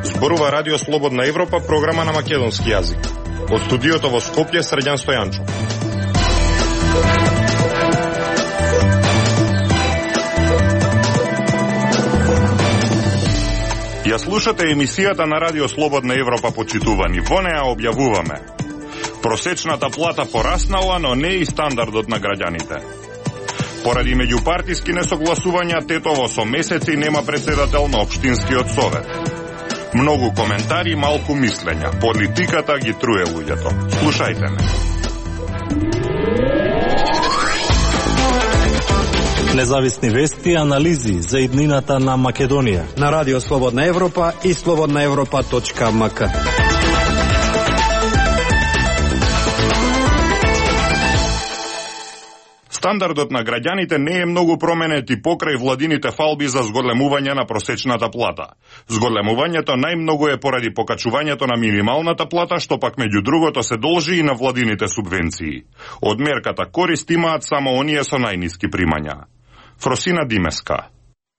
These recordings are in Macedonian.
Зборува Радио Слободна Европа, програма на македонски јазик. Од студиото во Скопје, Срđan Стојанчов. Ја слушате емисијата на Радио Слободна Европа, почитувани. Во неа објавуваме: просечната плата пораснала, но не и стандардот на граѓаните. Поради меѓупартиски несогласувања, Тетово со месеци нема председател на Општинскиот совет. Многу коментари, малку мислења. Политиката ги труе луѓето. Слушајте ме. Независни вести и анализи за иднината на Македонија на Радио Слободна Европа и slobodnaevropa.mk. Стандардот на граѓаните не е многу променет и покрај владините фалби за зголемување на просечната плата. Зголемувањето најмногу е поради покачувањето на минималната плата, што пак меѓу другото се должи и на владините субвенции. Од мерката корист имаат само оние со најниски примања. Фросина Димеска.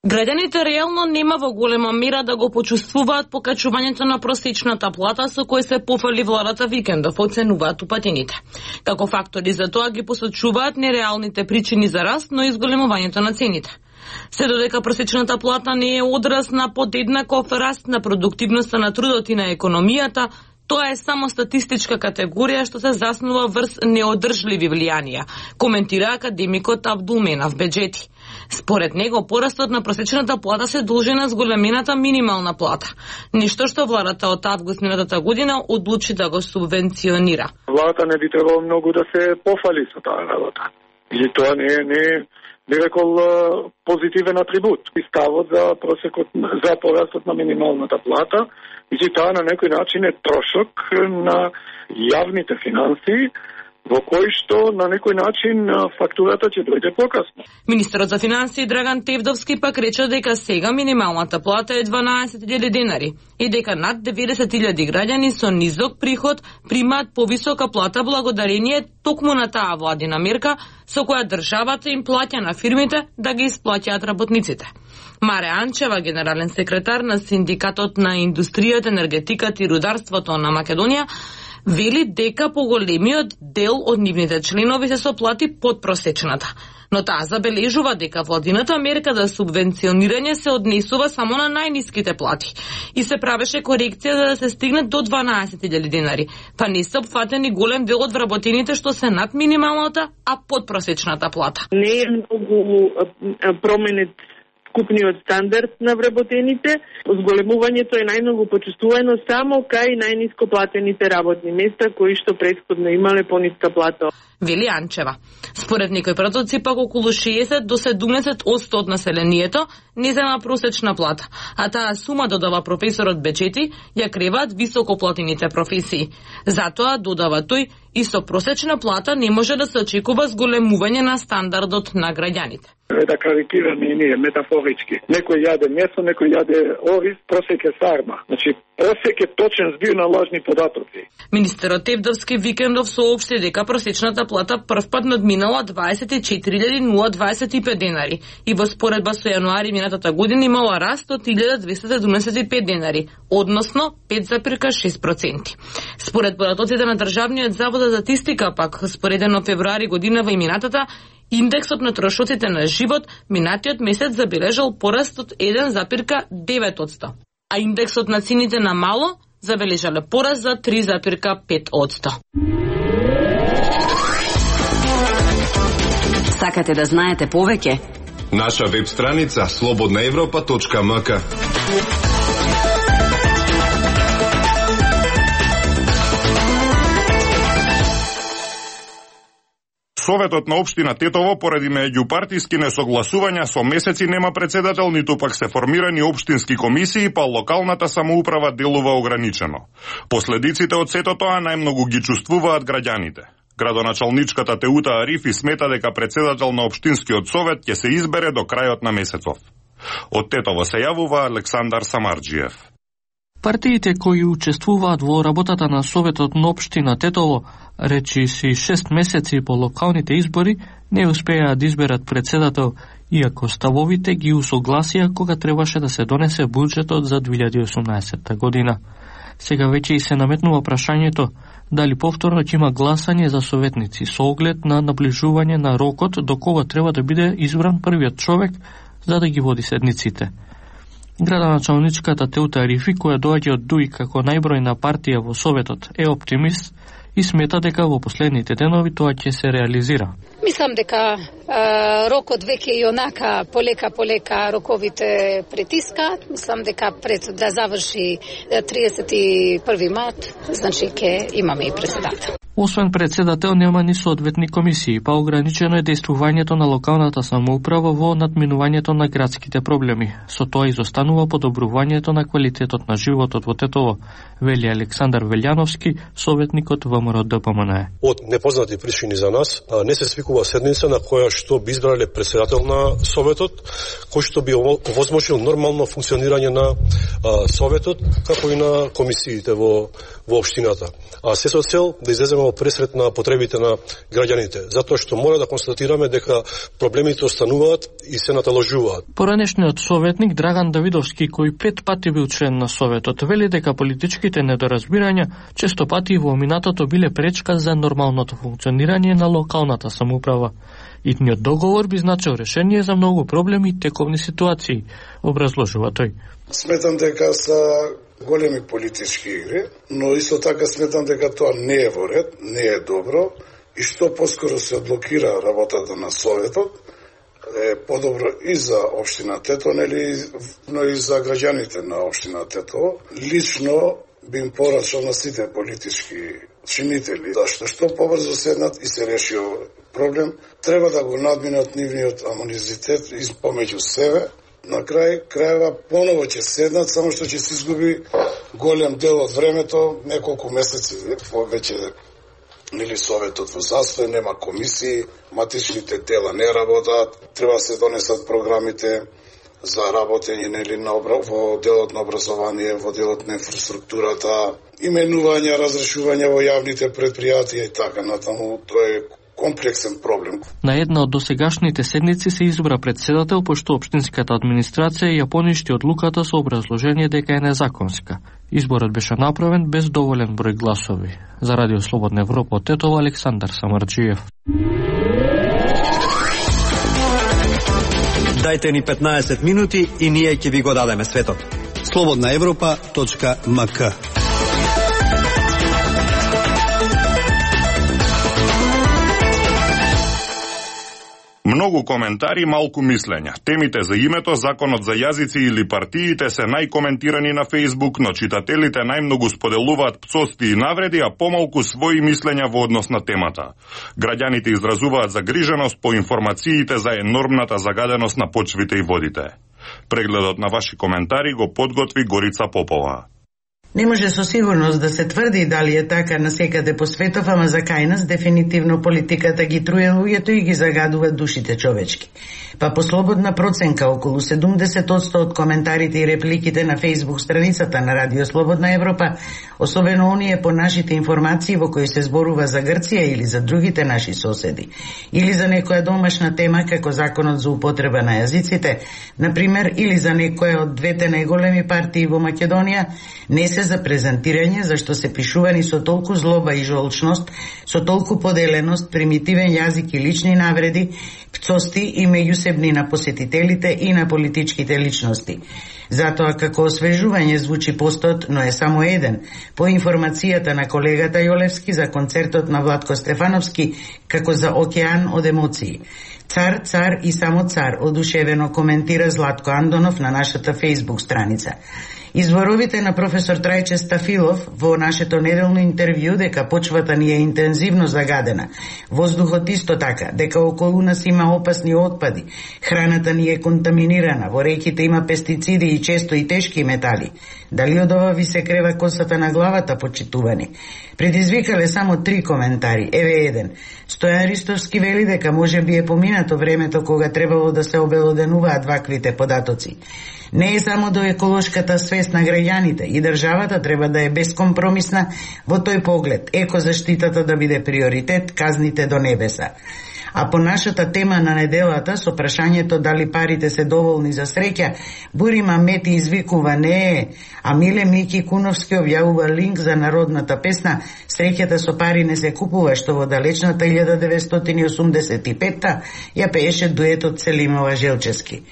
Граѓаните реално нема во голема мера да го почувствуваат покачувањето на просечната плата со кој се пофали владата викендов, оценуваат упатените. Како фактори за тоа ги посочуваат нереалните причини за раст, но и зголемувањето на цените. Се додека просечната плата не е одраз на подеднаков раст на продуктивноста на трудот и на економијата, тоа е само статистичка категорија што се заснува врз неодржливи влијанија, коментира академикот Абдулменав Беџети. Според него, порастот на просечната плата се должи на зголемената минимална плата, ништо што владата од август минатата година одлучи да го субвенционира. Владата не би требало многу да се пофали со таа работа. И тоа не би рекол позитивен атрибут. И ставот за порастот на минималната плата, и тоа на некој начин е трошок на јавните финансии, во кој што на некој начин фактурата ќе дојде покасно. Министерот за финансии Драган Тевдовски пак рече дека сега минималната плата е 12.000 денари и дека над 90.000 граѓани со низок приход примаат повисока плата благодарение токму на таа владина мерка со која државата им плаќа на фирмите да ги исплаќаат работниците. Маре Анчева, генерален секретар на Синдикатот на индустријата, енергетиката и рударството на Македонија, вели дека поголемиот дел од нивните членови се со плати под просечната. Но таа забележува дека владината мерка за субвенционирање се однесува само на најниските плати и се правеше корекција за да се стигне до 12.000 денари, па не се опфатени голем дел од вработените што се над минималната, а под просечната плата. Не е многу променет купниот стандард на вработените. Зголемувањето е најмногу почувствувано само кај најниско платените работни места кои што претходно имале пониска плата. Вели Анчева. Според некои продавци пак околу 60 до 70% од населението не зема просечна плата, а таа сума, додава професорот Беџети, ја креваат високоплатените професии. Затоа, додава тој, и со просечна плата не може да се очекува зголемување на стандардот на граѓаните. Да карикираме и ние метафорички. Некој јаде месо, некој јаде ориз, просек е сарма. Значи, просек е точен збир на лажни податоци. Министерот Тевдовски викендов соопшти дека просечната плата првпат надминала 24.025 денари и во споредба со јануари минатата година имала раст од 1.275 денари, односно 5,6%. Според податоците на Државниот завод за статистика, пак споредено февруари годинава и минатата, индексот на трошоците на живот минатиот месец забележал пораст од 1,9%, а индексот на цените на мало забележале пораст за 3,5%. Сакате да знаете повеќе? Наша веб страница slobodnaevropa.mk. Советот на општина Тетово поради меѓупартиски несогласувања со месеци нема председател, ниту пак се формирани општински комисии, па локалната самоуправа делува ограничено. Последиците од сето тоа најмногу ги чувствуваат граѓаните. Градоначалничката Теута Арифи смета дека председател на општинскиот совет ќе се избере до крајот на месецов. Од Тетово се јавува Александар Самарџиев. Партиите кои учествуваат во работата на Советот на општина Тетово, речиси 6 месеци по локалните избори, не успеа да изберат председател, иако ставовите ги усогласија кога требаше да се донесе буџетот за 2018 година. Сега веќе и се наметнува прашањето дали повторно ќе има гласање за советници со оглед на наближување на рокот до кога треба да биде избран првиот човек за да ги води седниците. Градоначалничката Теута Рифи, која доаѓа од ДУИ како најбројна партија во Советот, е оптимист и смета дека во последните денови тоа ќе се реализира. Мислам дека рокот веќе и онака полека роковите притискаат. Мислам дека пред да заврши 31 март, значи ќе имаме и председател. Освен председател нема ни соодветни комисии, па ограничено е действувањето на локалната самоуправа во надминувањето на градските проблеми. Со тоа изостанува подобрувањето на квалитетот на животот во Тетово, вели Александар Велјановски, советникот ВМРО ДПМН. Од непознати причини за нас не се свикува седница на која што би избрале председател на Советот, кој што би овозможил нормално функционирање на Советот, како и на комисиите во општината. А се со цел да излеземе во пресрет на потребите на граѓаните, затоа што мора да констатираме дека проблемите остануваат и се наталожуваат. Поранешниот советник Драган Давидовски, кој 5 пати бил член на Советот, вели дека политичките недоразбирања често пати во минатото биле пречка за нормалното функционирање на локалната самоуправа. Итниот договор би значил решение за многу проблеми и тековни ситуации, образложува тој. Сметам дека са големи политички игри, но исто така сметам дека тоа не е во ред, не е добро и што поскоро се блокира работата на Советот, е подобро и за општина Тетово, но и за граѓаните на општина Тетово. Лично би им порачал на сите политички чинители, што побрзо седнат и се реши проблем, треба да го надминат нивниот амонизитет помеѓу себе. На крајва поново ќе седнат, само што ќе се изгуби голем дел од времето, неколку месеци веќе Советот во застој, нема комисии, матичните тела не работат, треба да се донесат програмите за работење во делот на образование, во делот на инфраструктурата, именувања, разрешување во јавните предпријатија и така натаму. Тоа е комплексен проблем. На една од досегашните седници се избра председател, пошто општинската администрација ја поништи одлуката со образложение дека е незаконска. Изборот беше направен без доволен број гласови. За Радио Слободна Европа од Тетово, Александар Самарджиев. Дајте ни 15 минути и ние ќе ви го дадеме светот. slobodnaevropa.mk. Многу коментари, малку мислења. Темите за името, законот за јазици или партиите се најкоментирани на Facebook, но читателите најмногу споделуваат пцости и навреди, а помалку своји мислења во однос на темата. Граѓаните изразуваат загриженост по информациите за енормната загаденост на почвите и водите. Прегледот на ваши коментари го подготви Горица Попова. Не може со сигурност да се тврди дали е така насекаде по светов, ама за кај нас дефинитивно политиката ги труе луѓето и ги загадува душите човечки. Па по слободна проценка, околу 70% од коментарите и репликите на Facebook страницата на Радио Слободна Европа, особено оние по нашите информации во кои се зборува за Грција или за другите наши соседи, или за некоја домашна тема како законот за употреба на јазиците, например, или за некоја од двете најголеми партии во Македонија, не се за презентирање, зашто се пишувани со толку злоба и жолчност, со толку поделеност, примитивен јазик и лични навреди, пцости и меѓусебни на посетителите и на политичките личности. Затоа како освежување звучи постот, но е само еден, по информацијата на колегата Јолевски за концертот на Владко Стефановски, како за океан од емоции. Цар, цар и само цар, одушевено коментира Златко Андонов на нашата Facebook страница. Изборовите на професор Трајче Стафилов во нашето неделно интервју дека почвата ни е интензивно загадена, воздухот исто така, дека околу нас има опасни отпади, храната ни е контаминирана, во реките има пестициди и често и тешки метали. Дали од ова ви се крева косата на главата, почитувани? Предизвикале само 3 коментари. Еве еден. Стојан Ристовски вели дека може би е поминато времето кога требало да се обелоденуваат ваквите податоци. Не е само до еколошката сфера свест на граѓаните и државата треба да е бескомпромисна во тој поглед, екозаштитата да биде приоритет, казните до небеса. А по нашата тема на неделата со прашањето дали парите се доволни за среќа, Бури Мамети извикува не е, а Миле Мики Куновски објавува линк за народната песна "Среќата со пари не се купува", што во далечната 1985-та ја пееше дуетот Селимова Желчевски.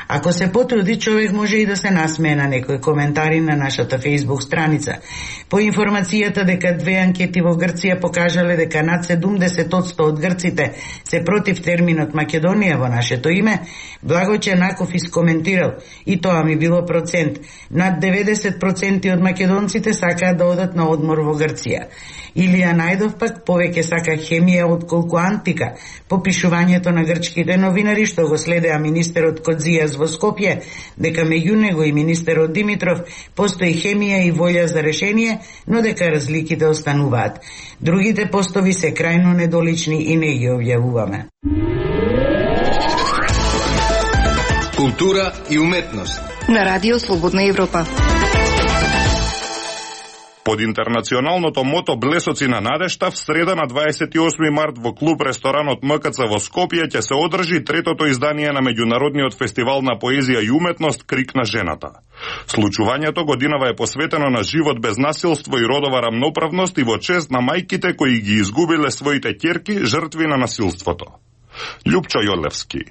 Ако се потруди, човек може и да се насмее на некои коментари на нашата Facebook страница. По информацијата дека две анкети во Грција покажале дека над 70% од грците се против терминот Македонија во нашето име, Благој Ченаков искоментирал, и тоа ми било процент, над 90% од македонците сакаат да одат на одмор во Грција. Илија Најдов пак повеќе сака хемија отколку антика. По пишувањето на грчките новинари, што го следеа министерот Кодзијас во Скопје, дека меѓу него и министерот Димитров постои хемија и волја за решение, но дека разликите остануваат. Другите постови се крајно недолични и не ги објавуваме. Култура и уметност на Радио Слободна Европа. Под интернационалното мото "Блесоци на надежта" в среда на 28 март во клуб ресторанот МКЦ во Скопје ќе се одржи третото издание на меѓународниот фестивал на поезија и уметност "Крик на жената". Случувањето годинава е посветено на живот без насилство и родова рамноправност и во чест на мајките кои ги изгубиле своите ќерки жртви на насилството. Љупчо Јолевски.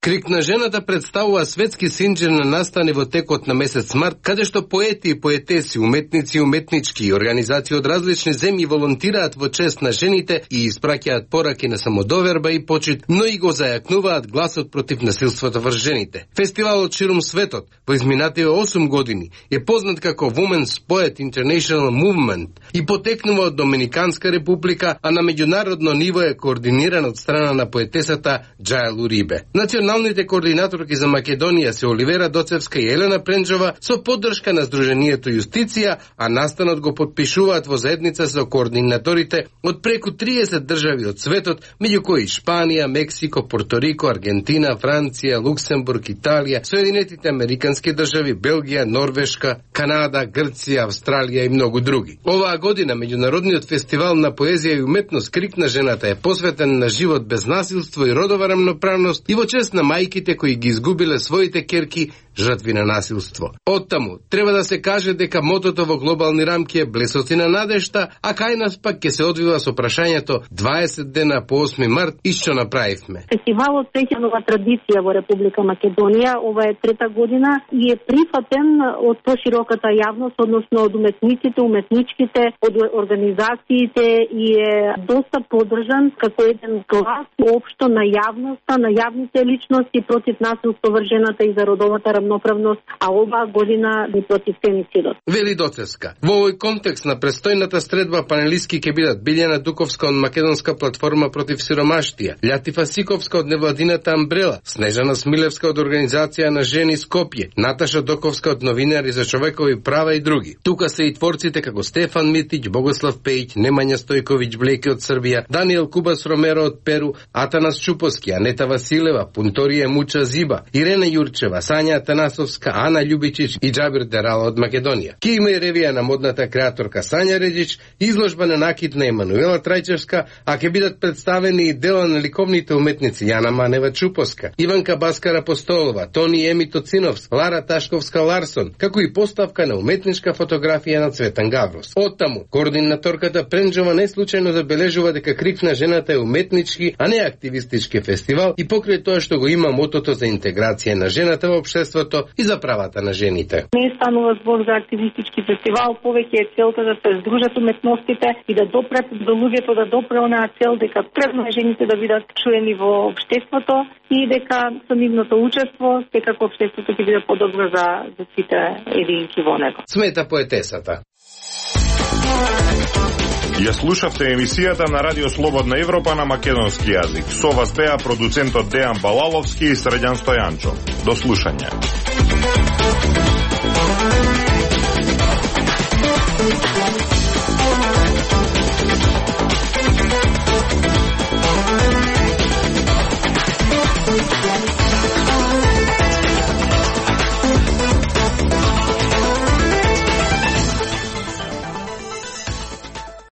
Крик на жената представува светски синџир на настани во текот на месец март, каде што поети и поетеси, уметници и уметнички и организации од различни земји волонтираат во чест на жените и испраќаат пораки на самодоверба и почит, но и го зајакнуваат гласот против насилството врз жените. Фестивалот ширум светот во изминативе 8 години е познат како Women's Poet International Movement и потекнува од Доминиканска република, а на меѓународно ниво е координиран од страна на поетесата Џајл Урибе. Националните координаторки за Македонија се Оливера Доцевска и Елена Пренџова со поддршка на Сдруженијето Јустиција, а настанот го подпишуваат во заедница со координаторите од преку 30 држави од светот, меѓу кои Шпанија, Мексико, Порторико, Аргентина, Франција, Луксембург, Италија, Соединетите Американски држави, Белгија, Норвешка, Канада, Грција, Австралија и многу други. Оваа година меѓународниот фестивал на поезија и уметност "Крик на жената" е посветен на живот без насилство и родова рамноправност и во чест на мајките кои ги изгубиле своите ќерки жртви на насилство. Оттаму, треба да се каже дека мотото во глобални рамки е "Блесоци на надежта", а кај нас пак ќе се одвива со прашањето 20 дена по 8 март и што направивме. Фестивалот сеќа нова традиција во Република Македонија. Ова е трета година и е прифатен од пошироката јавност, односно од уметниците, уметничките, од организациите и е доста поддржан како еден глас општо на јавноста, на јавните личности против насилство врз жената и за родовата рамноправност, а оваа година и против фемицидот. Вели Доцевска. Во овој контекст на престојната средба панелистки ќе бидат Билјана Дуковска од Македонска платформа против сиромаштија, Лјатифа Сиковска од невладината Амбрела, Снежана Смилевска од Организација на жени Скопје, Наташа Доковска од Новинари за човекови права и други. Тука се и творците како Стефан Митиќ, Богослав Пејќ, Немања Стојковиќ Блеки од Србија, Даниел Кубас Ромеро од Перу, Атанас Чупоски, Анета Василева, Пунторија Муча Зиба, Ирена Јурчева, Сања Атанасовска, Ана Љубичич и Џабир Дерала од Македонија. Ке има и ревија на модната креаторка Сања Редич, изложба на накид на Емануела Трајчевска, а ќе бидат представени и дела на ликовните уметници Јана Манева Чупоска, Иванка Баскара Постолова, Тони Еми Тоциновска, Лара Ташковска Ларсон, како и поставка на уметничка фотографија на Цветан Гаврос. Оттаму, координаторката Пренџова не случајно забележува дека Крик на жената е уметнички, а не активистички фестивал и покрај тоа што го има мотото за интеграција на жената во општеството и за правата на жените. Не станува збор за активистички фестивал, повеќе е целта да се здружат уметностите и да допрат до луѓето, да допре онаа цел дека требно е жените да бидат чуени во општеството и дека со нивното учество секако општеството ќе биде подобро за сите единки во него. Смета поетесата. Ја слушавте емисијата на Радио Слободна Европа на македонски јазик. Со вас беа продуцентот Дејан Балаловски и Среđan Стојанчо. До слушање.